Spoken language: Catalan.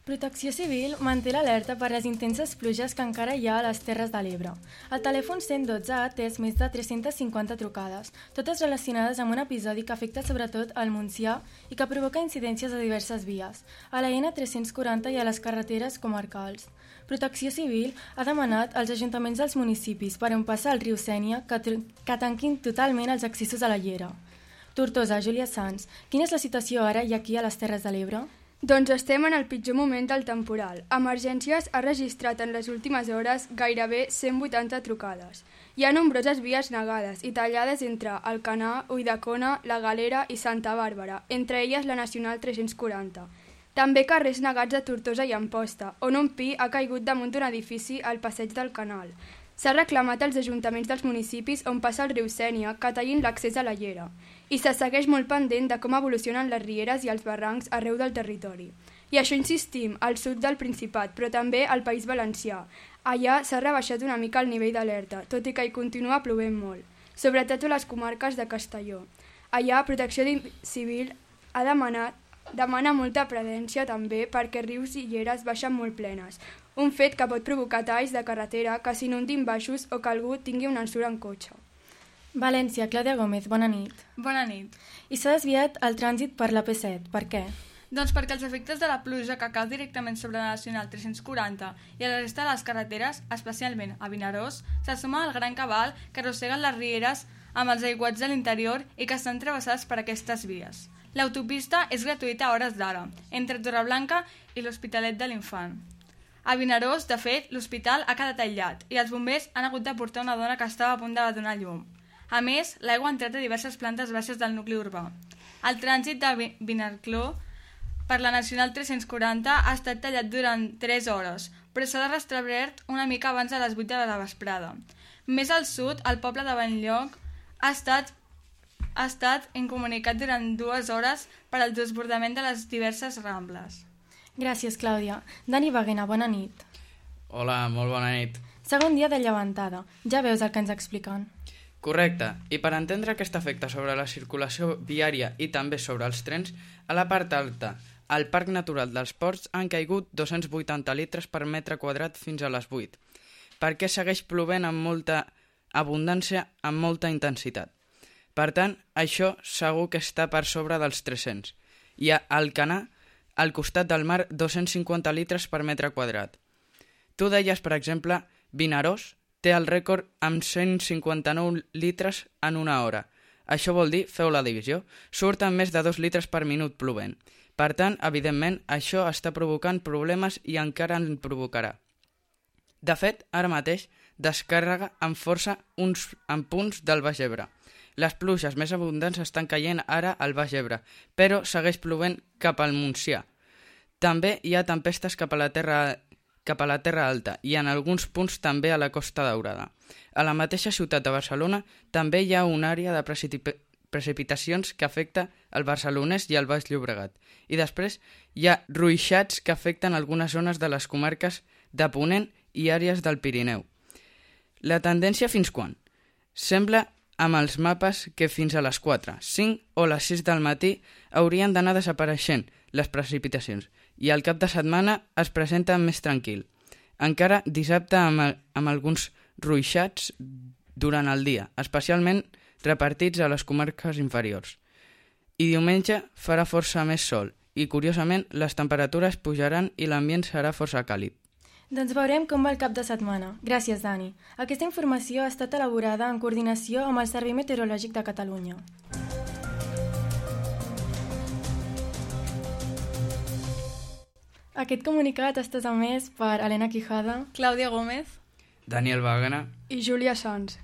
Protecció Civil manté l'alerta per les intenses pluges que encara hi ha a les Terres de l'Ebre. El telèfon 112 ha atès més de 350 trucades, totes relacionades amb un episodi que afecta sobretot al Montsià i que provoca incidències a diverses vies, a la N340 i a les carreteres comarcals. Protecció Civil ha demanat als ajuntaments dels municipis per on passa el riu Sénia que tanquin totalment els accessos a la llera. Tortosa, Júlia Sans, quina és la situació ara i aquí a les Terres de l'Ebre? Doncs estem en el pitjor moment del temporal. Emergències ha registrat en les últimes hores gairebé 180 trucades. Hi ha nombroses vies negades i tallades entre Alcanar, Ulldecona, La Galera i Santa Bàrbara, entre elles la Nacional 340. També carrers negats a Tortosa i Amposta, on un pi ha caigut damunt d'un edifici al passeig del Canal. S'ha reclamat als ajuntaments dels municipis on passa el riu Sénia que tallin l'accés a la llera i se segueix molt pendent de com evolucionen les rieres i els barrancs arreu del territori. I això insistim, al sud del Principat, però també al País Valencià. Allà s'ha rebaixat una mica el nivell d'alerta, tot i que hi continua plovent molt, sobretot a les comarques de Castelló. Allà Protecció Civil demana molta prudència també perquè rius i lleres baixen molt plenes, un fet que pot provocar talls de carretera que s'inundin baixos o que algú tingui una ensura en cotxe. València, Clàudia Gómez, bona nit. Bona nit. I s'ha desviat el trànsit per la P7, per què? Doncs perquè els efectes de la pluja que cau directament sobre la Nacional 340 i a la resta de les carreteres, especialment a Vinaròs, se suma al gran cabal que arrosseguen les rieres amb els aiguats de l'interior i que estan travessats per aquestes vies. L'autopista és gratuïta a hores d'ara, entre Torreblanca i l'Hospitalet de l'Infant. A Vinaròs, de fet, l'hospital ha quedat aïllat i els bombers han hagut de portar una dona que estava a punt de donar llum. A més, l'aigua ha entrat a diverses plantes baixes del nucli urbà. El trànsit de Vinarcló per la Nacional 340 ha estat tallat durant 3 hores, però s'ha restablert una mica abans de les 8 de la vesprada. Més al sud, el poble de Benlloc ha estat incomunicat durant 2 hores per al desbordament de les diverses rambles. Gràcies, Clàudia. Dani Baguena, bona nit. Hola, molt bona nit. Segon dia de llevantada. Ja veus el que ens expliquen. Correcte, i per entendre aquest efecte sobre la circulació viària i també sobre els trens, a la part alta, al Parc Natural dels Ports han caigut 280 litres per metre quadrat fins a les 8, perquè segueix plovent amb molta abundància, amb molta intensitat. Per tant, això segur que està per sobre dels 300. I a Alcanar, al costat del mar, 250 litres per metre quadrat. Tu deies, per exemple, Vinaròs té el rècord amb 159 litres en una hora. Això vol dir, feu la divisió, surten més de 2 litres per minut plovent. Per tant, evidentment, això està provocant problemes i encara en provocarà. De fet, ara mateix, descàrrega amb força en punts del Baix Ebre. Les pluges més abundants estan caient ara al Baix Ebre, però segueix plovent cap al Montsià. També hi ha tempestes cap a la Terra Alta i en alguns punts també a la Costa Daurada. A la mateixa ciutat de Barcelona també hi ha una àrea de precipitacions que afecta el barcelonès i el Baix Llobregat. I després hi ha ruixats que afecten algunes zones de les comarques de Ponent i àrees del Pirineu. La tendència fins quan? Sembla amb els mapes que fins a les 4, 5 o les 6 del matí haurien d'anar desapareixent les precipitacions i al cap de setmana es presenta més tranquil. Encara dissabte amb alguns ruixats durant el dia, especialment repartits a les comarques inferiors. I diumenge farà força més sol i, curiosament, les temperatures pujaran i l'ambient serà força càlid. Doncs veurem com va el cap de setmana. Gràcies, Dani. Aquesta informació ha estat elaborada en coordinació amb el Servei Meteorològic de Catalunya. Aquest comunicat està emès per Helena Quijada, Clàudia Gómez Daniel Baguena i Júlia Sans.